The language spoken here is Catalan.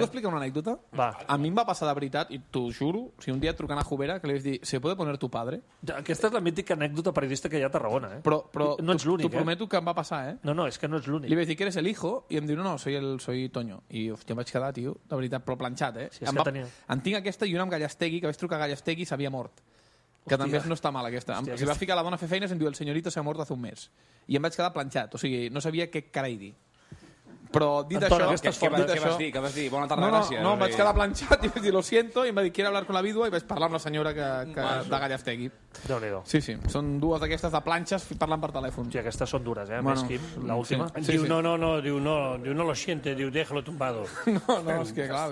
Puc explicar una anècdota? Va. A mi em va passar de veritat, i t'ho juro, un dia trucant a Jubera, que li vaig dir, ¿se puede poner tu padre? Aquesta és la mítica anècdota periodista que hi ha a Tarragona, eh? Però no ets l'únic, t'ho prometo que em va passar, eh? No, és que no ets l'únic. Li vaig dir que eres el hijo, i em diu, no, soy Toño. I hòstia, em vaig quedar, tio, de veritat, però planxat, eh? Sí, és que tenia... En tinc aquesta i una amb Gallastegui, que vaig trucar a Gallastegui i s'havia mort. Que també no està mal, aquesta. Hòstia, si va ficar la dona a fer feines, em diu, el señorito se ha mort hace un mes. I em vaig quedar planxat, o sigui, no sabia què carai dir. Però dit Anton, això... Què vas dir? Bona tarda, gràcies. No, em vaig quedar planxat i vaig dir, lo siento, i em va dir, quiere hablar con la vídua, i vaig parlar amb la senyora de Gallastegui. Déu-n'hi-do. Sí, són dues d'aquestes de planxes parlant per telèfon. Hòstia, aquestes són dures, eh? Bueno, Més Quim, l'última. Diu, no lo siente, diu, déjalo tumbado. No, és que clar,